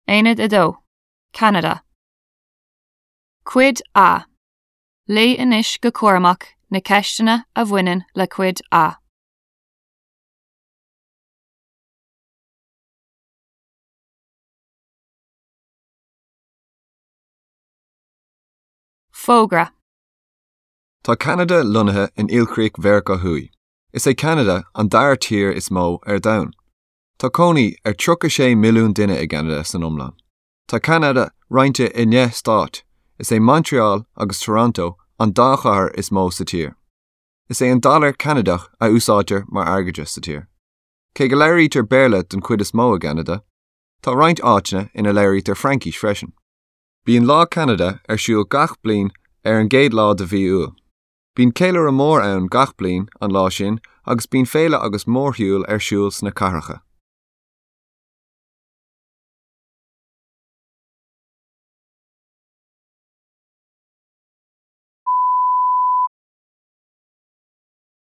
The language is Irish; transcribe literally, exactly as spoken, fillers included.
Aonad a dó, Ceanada. Cuid A. Léigh anois go cúramach na ceisteanna a bhaineann le Cuid A. Fógra. Tá Ceanada lonnaithe in ilchríoch Mheiriceá Thuaidh. Is é Ceanada an dara tír is mó ar domhan. Tá cónaí ar tríocha sé milliún duine i gCeanada san iomlán. Tá Ceanada roinnte i ndeich stát, is é Montreal agus Toronto an dá chathair is mó sa tír. Is é an dollar Ceanadach a úsáidtear mar airgeadra sa tír. Cé go labhraítear Béarla den chuid is mó i gCeanada, tá roinnt áiteanna ina labhraítear Fraincis freisin. Bíonn Lá Ceanada ar siúl gach bliain ar an gcéad lá de mhí Iúil. Bíonn ceiliúradh mór ann gach bliain an lá sin agus bíonn féile agus mórshiúl ar siúl sna cathracha.